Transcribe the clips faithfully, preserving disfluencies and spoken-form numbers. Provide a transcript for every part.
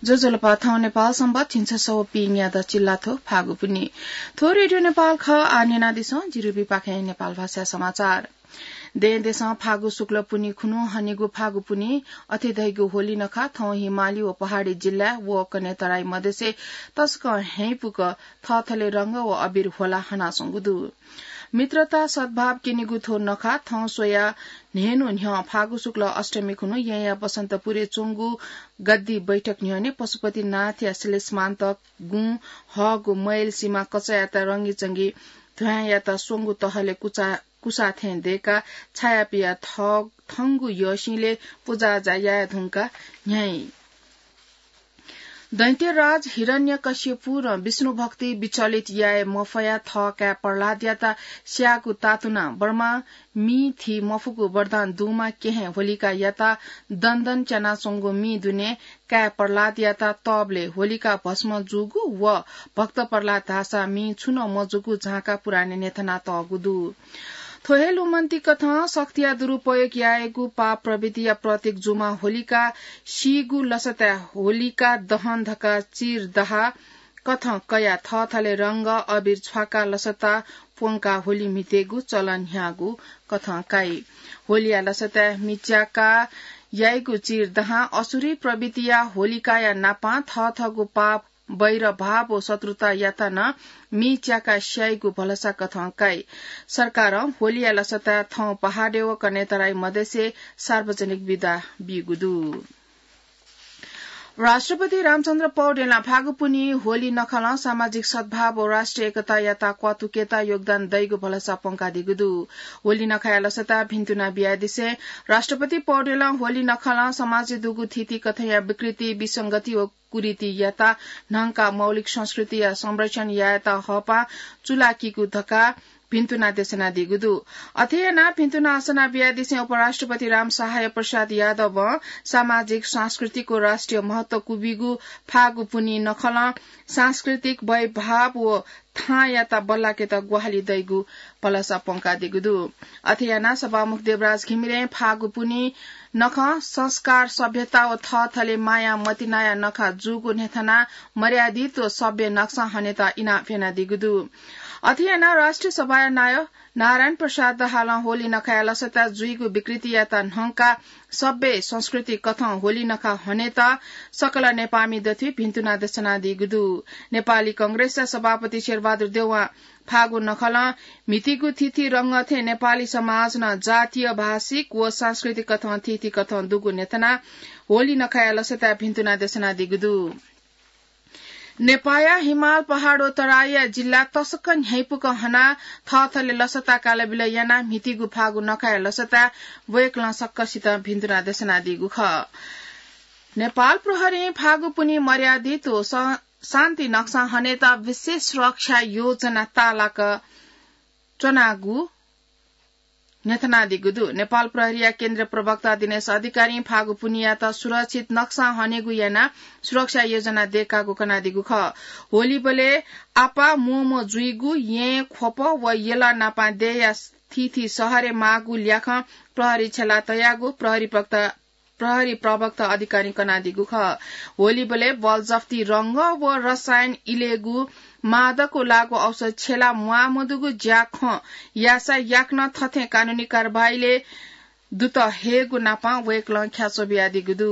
ज्वजलपा, थौं नेपाल संवत् झिंछसः व पीन्यादँ चिल्लाथ्व फागुपुन्हि। थ्व रेडियो नेपाल खः। आः न्यनादिसँ जिरुबीपाखें नेपाल भाषा समाचार। दें देशं फागु शुक्ल पुन्हि खुन्हु हनेगु फागुपुन्हि अथे धइगु होली नखः थौं हिमाली व पहाडी जिल्ला व कन्हय् तराई मधेसय् तसकं ह्याइँपुक थःथले रंग व अबिर होला हनाच्वंगु दु। मित्रता सद्भाव क्यनेगु थ्व नखः थौं स्वयाः न्हय्न्हु न्ह्यः फागु शुक्ल अष्टमी खुन्हु येँया बसन्तपुरय् च्वंगु गद्दी बैठक न्ह्यःने पशुपतिनाथया श्लेषमान्तक गुँ हःगु मैल सिमा कचायात रंगीचंगी ध्वाँयात स्वंगू तहलय् कुसा, कुसा थें दय्काः छाया पियाः थ-, थंगु यःसिंलय् पुजाआजा याये धुंकाः न्ह्याइ। दैत्यराज हिरण्यकश्यपुं विष्णुभक्ति विचलित याये मफयाः थः काय् प्रह्लादयात स्याःगु तातुनाः ब्रह्मां मि थी मफुगु वरदान दुम्ह केहेँ होलिकायात दनदन च्यानाच्वंगु मि दुने काय् प्रह्लादयात तःबलय् होलिका भस्म जूगु व भक्त प्रह्लाद धाःसा मि छुं नं मजूगु झांका पुराणय् न्ह्यथनातःगु दु। थ्व हे लुमन्तिकथं शक्तिया दुरुपयोग यायेगु पाप प्रवृत्तिया प्रतीक जूम्ह होलिका सीगु लसताय् होलिका दहन धकाः चिर दहा कथं कयाः थःथले रंग अबिर छ्वाकाः लसता प्वंकाः होली म्हितेगु चलन न्ह्याःगु कथं काइ। होलिया लसताय् मि च्याकाः याइगु चिर दहां असुरी प्रवृत्तिया होलिकाया नापां थःथःगु पाप, वैर भाव व शत्रुतायात नं मि च्याकाः स्याइगु भलसा कथं काइ। सरकारं होलिया लसताय् थौं पहाडय् व कन्हय् तराई मधेसय् सार्वजनिक बिदा बीगु दु। राष्ट्रपति रामचन्द्र पौडेलं फागुपुन्हि होली नखलं सामाजिक सद्भाव व राष्ट्रिय एकतायात क्वातुकेत योगदान दइगु भलसा प्वंकादीगु दु। होली नखःया लसता भिन्तुना बियादिसें राष्ट्रपति पौडेलं होली नखलं समाजय् दुगु थीथी कथंया विकृति, विसंगति व कुरीतियात न्हंकाः मौलिक संस्कृतिया संरक्षण यायेत हःपाः चूलाकीगु धकाः भिन्तुना देछानादीगु दु। अथे यानाः भिन्तुना असना बियादिसें उपराष्ट्रपति रामसहाय प्रसाद यादवं सामाजिक, सांस्कृतिक व राष्ट्रिय महत्व क्वबीगु फागुपुन्हि नखलं सांस्कृतिक वैभाव व थांयात बल्लाकेत ग्वाहालि दइगु भलसा प्वंकादीगु दु। अथे यानाः सभामुख देवराज घिमिरें फागुपुन्हि नखः संस्कार, सभ्यता व थःथले माया मतिनाया नखः जूगु न्ह्यथनाः मर्यादित व सभ्य नक्सा हनेत इनाप यानादीगु दु। अथे यानाः राष्ट्रिय सभाया नायः नारायण प्रसाद दाहालं होली नखःया लसता जुइगु विकृतियात न्हंकाः सभ्य संस्कृति कथं होली नखः हनेत सकल नेपाःमि दथुइ भिन्तुना देछानादीगु दु। नेपाली कांग्रेसया सभापति शेरबहादुर देउवां फागु नखलं म्हितीगु थीथी रंग थें नेपाली समाज नं जातीय, भाषिक व सांस्कृतिक कथं थीथी कथं दुगु न्ह्यथनाः होली नखःया लसताय् भिन्तुना देछानादीगु दु। नेपाःया हिमाल, पहाड व तराईया जिल्ला तसकं न्ह्याइपुक हनाः थःथले लसता कालाबिल यानाः म्हितीगु फागु नखःया लसताय् वय्कलं सकसितं भिन्तुना देछानादीगु खः। नेपाल प्रहरीं फागुपुन्हि मर्यादित व स-, शान्ति नक्सा हनेत विशेष सुरक्षा योजना ताःलाक च्वनागु न्ह्यथनादीगु दु। नेपाल प्रहरीया केन्द्रीय प्रवक्ता दिनेश अधिकारीं फागुपुन्हियात सुरक्षित नक्सा हनेगु यानाः सुरक्षा योजना दय्कागु कनादीगु खः। होलीबलय् आपाः म्वःम्वः जुइगु, येँ, ख्वप व यल नापं देय्‌या थीथी शहरय् माःगु ल्याखं प्रहरी छ्यला तयागु प्रहरी प्रवक्ता प्रहरी प्रवक्ता अधिकारीं कनादीगु खः। होलीबलय् बलजफ्ती रंग व रसायन इलेगु मादक व लागू औषध छ्यला म्वाःमदुगु ज्याखँ याःसा याकनं थथें कानूनी कारवाहीलय् दुत हयेगु नापं वय्कलं ख्याच्वः बियादीगु दु।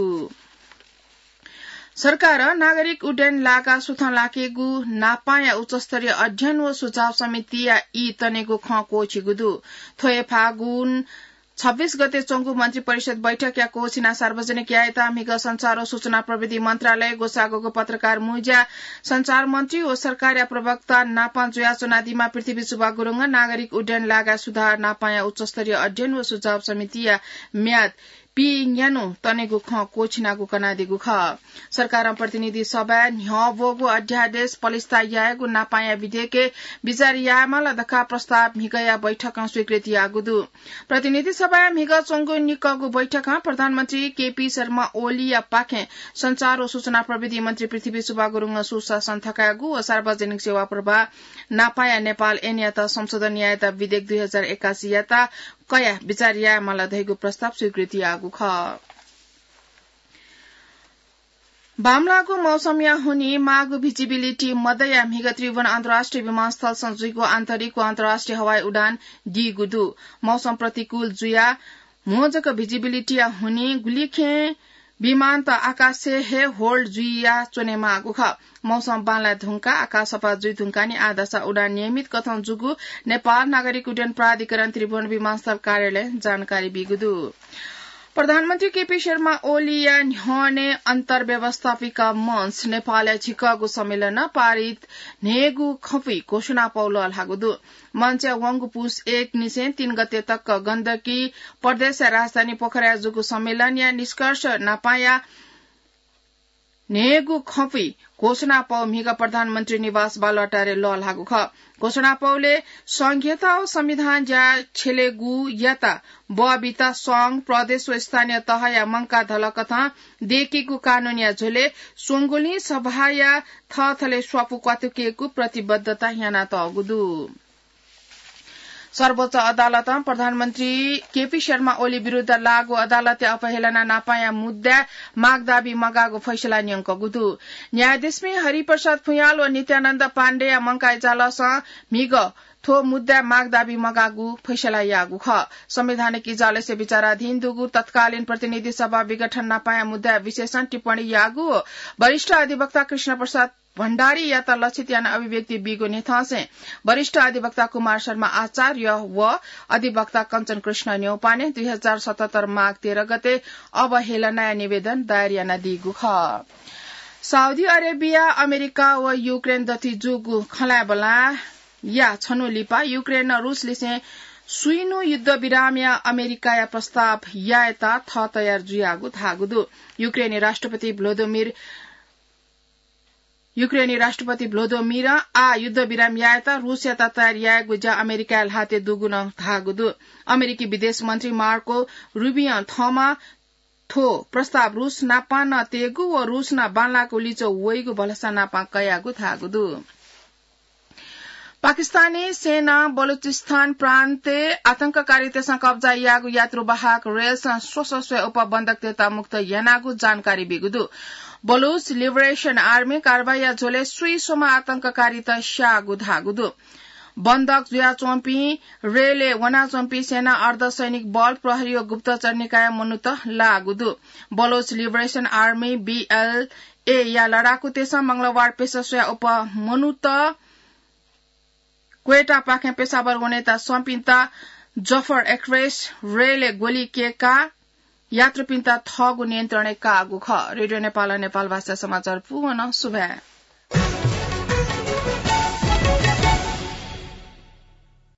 सरकारं नागरिक उड्डयन लागा सुथं लाकेगु नापांया उच्चस्तरीय अध्ययन व सुझाव समितिया ई तनेगु खँ क्वःछिगु दु। थ्व हे फागुन छब्बीस गते च्वंगु मन्त्री परिषद बैठकया क्वःछिना सार्वजनिक यायेत म्हिगः सञ्चार व सूचना प्रविधि मन्त्रालय ग्वसाःगु पत्रकार मुँज्या सञ्चार मन्त्री व सरकारया प्रवक्ता नापं जुयाच्वनादीम्ह पृथ्वी सुब्बा गुरुङं नागरिक उड्डयन लागा सुधार नापांया उच्चस्तरीय अध्ययन व सुझाव समितिया म्याद पीन्यान्हु तनेगु खँ क्वःछिनागु कनादीगु खः। सरकारं प्रतिनिधि सभाय् न्ह्यः ब्वःगु अध्यादेश पलिस्था यायेगु नापांया विधेयकय् बिचाः यायेमाल धकाः प्रस्ताव म्हिगःया बैठकं स्वीकृति याःगु दु। प्रतिनिधि सभाय् म्हिगः च्वंगु निकःगु बैठकं प्रधानमन्त्री केपी शर्मा ओलीया पाखें सञ्चार व सूचना प्रविधि मन्त्री पृथ्वी सुब्बा गुरुङं सुशासन थकायेगु व सार्वजनिक सेवा प्रवाह नापांया नेपाल ऐनयात संशोधन यायेत विधेयक दुई हजार एकासीयात कयाः बिचाः यायेमाल धइगु प्रस्ताव स्वीकृति याःगु खः। बांमलाःगु मौसमया हुनिं माःगु visibility मदया म्हिगः त्रिभुवन अन्तर्राष्ट्रिय विमानस्थलसं जुइगु आन्तरिक व अन्तर्राष्ट्रिय हवाई उडान दीगु दु। मौसम प्रतिकूल जुयाः म्हो जक visibilityया हुनिं गुलिखें विमानत आकाशय् हे hold जुइया च्वनेमाःगु खः। मौसम बांलाये धुंकाः आकाश सफा जुइ धुंकाः नि आः धाःसा उडान नियमित कथं जूगु नेपाल नागरिक उड्डयन प्राधिकरण त्रिभुवन विमानस्थल कार्यालयं जानकारी बीगु दु। प्रधानमन्त्री केपी शर्मा ओलीया न्ह्यःने अन्तर्व्यवस्थापिका मञ्च नेपालया झिकःगु सम्मेलनं पारित न्हय्गू खँपुइ घोषणापौ लःल्हाःगु दु। मञ्चया वंगु पुस एक निसें तीन गते तक गण्डकी प्रदेशया राजधानी पोखराया जूगु सम्मेलनया निष्कर्ष नापांया न्हय्गू खँपुइ घोषणापौ म्हिगः प्रधानमन्त्री निवास बालुवाटारय् लःल्हाःगु खः। घोषणापौलय् संघीयता व संविधान ज्या छ्यलेगुयात बः बीत संघ, प्रदेश व स्थानीय तहया मंकाः धलकथं दय्केगु कानूनया झ्वलय् स्वंगुलिं सभाया थःथलय् स्वापू क्वातुकेगु प्रतिबद्धता यानातःगु दु। सर्वोच्च अदालतं प्रधानमन्त्री केपी शर्मा ओली विरुद्ध लाःगु अदालतया अवहेलना नापांया मुद्दाय् माग दाबी मगाःगु फैसला न्यंकूगु दु। न्यायाधीशपिं हरिप्रसाद भुयाल व नित्यानन्द पाण्डेया मंकाः इजालसं म्हिगः थ्व मुद्दाय् माग दाबी मगाःगु फैसला याःगु खः। संवैधानिक इजालय् बिचाराधीन दुगु तत्कालीन प्रतिनिधि सभा विघटन नापांया मुद्दाय् विशेषं टिप्पणी याःगु व वरिष्ठ अधिवक्ता कृष्ण प्रसाद भण्डारीयात लक्षित यानाः अभिव्यक्ति बीगु न्ह्यथंसें वरिष्ठ अधिवक्ता कुमार शर्मा आचार्य व अधिवक्ता कञ्चन कृष्ण न्यौपाने दुई हजार सतहत्तर माघ तेह्र गते अवहेलनाया निवेदन दायर यानादीगु खः। साउदी अरेबिया, अमेरिका व युक्रेन दथुइ जूगु खँल्हाबल्हाया छन्हु लिपा युक्रेनं रुसलिसें स्वीन्हु युद्धविरामया अमेरिकाया प्रस्ताव यायेत थः तयार जुयागु धाःगु दु। युक्रेनी राष्ट्रपति भ्लोदोमिर युक्रेनी राष्ट्रपति भ्लोदोमिरं आः युद्धविराम यायेत रुसयात तयार यायेगु ज्या अमेरिकाया ल्हातय् दुगु नं धाःगु दु। अमेरिकी विदेश मन्त्री मार्को रुबियों थःम्हं थ्व प्रस्ताव रुस नापं नं तयेगु व रुस नं बांलाःगु लिच्वः वइगु भलसा नापं कयागु धाःगु दु। पाकिस्तानी सेनां बलुचिस्तान प्रान्तय् आतंककारीतय्सं कब्जा याःगु यात्रुवाहक रेलसं स्वस्वस्वय् उपबन्धकतय्त मुक्त यानागु जानकारी बीगु दु। बलुच लिबरेसन आर्मी कारवाईया झ्वलय् स्वीस्वम्ह आतंककारीत स्याःगु धाःगु दु। बन्धक जुयाच्वंपिं रेलय् वनाच्वंपिं सेना, अर्धसैनिक बल, प्रहरी व गुप्तचर निकायया मनूत लाःगु दु। बलुच लिबरेसन आर्मी, बीएलएया लडाकुतय्सं मंगलबार पेशा स्वयाः उप मनूत क्वेटापाखें पेशावर वनेत स्वंपिन्त जफर एक्सप्रेस रेलय् ग्वलि कय्काः यात्रुपिन्त थःगु नियन्त्रणय् काःगु खः। रेडियो नेपालं नेपाल भाषा समाचार पूवन सुभाय्।